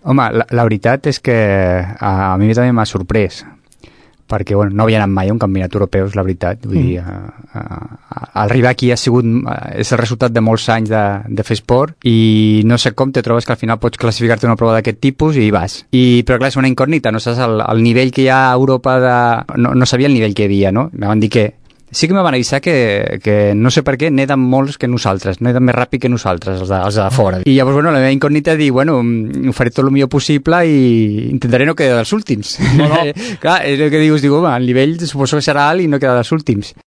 Home, la veritat és que a mi també m'ha sorprès, perquè bueno, no havia anat mai a un campionat europeu, és la veritat. Vull dir, arribar aquí és el resultat de molts anys de fer esport, i no sé com te trobes que al final pots classificar-te una prova d'aquest tipus i vas. Però clar, és una incògnita, no saps el nivell que hi ha a Europa no sabia el nivell que hi havia, no? Em van dir que sí que me van avisar que no sé per què neden molts que nosaltres, neden més ràpid que nosaltres, els de fora. I llavors, bueno, la meva incògnita és dir, bueno, ho faré tot el millor possible i intentaré no quedar dels últims. No. Clar, és el que dius, home, el nivell suposo que serà alt i no quedar dels últims.